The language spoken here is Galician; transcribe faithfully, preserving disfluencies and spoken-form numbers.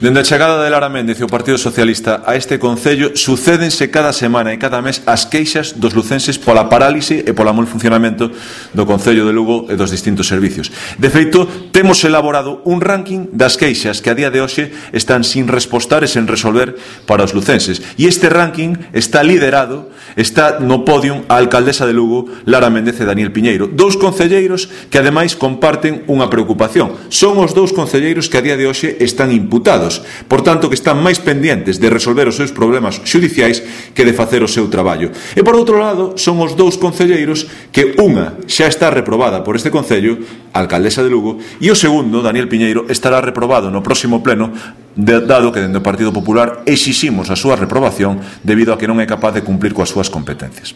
Dende a chegada de Lara Méndez e o Partido Socialista a este concello, sucédense cada semana e cada mes as queixas dos lucenses pola parálise e polo mal funcionamento do Concello de Lugo e dos distintos servicios. De feito, temos elaborado un ranking das queixas que a día de hoxe están sin respostar e sen resolver para os lucenses. E este ranking está liderado, está no podium a alcaldesa de Lugo, Lara Méndez e Daniel Piñeiro, dous concelleiros que ademais comparten unha preocupación. Son os dous concelleiros que a día de hoxe están imputados, por tanto que están máis pendientes de resolver os seus problemas xudiciais que de facer o seu traballo. E por outro lado, son os dous concelleiros que unha xa está reprobada por este concello, a alcaldesa de Lugo, e o segundo, Daniel Piñeiro, estará reprobado no próximo pleno, dado que dende o Partido Popular exiximos a súa reprobación debido a que non é capaz de cumplir coas súas competencias.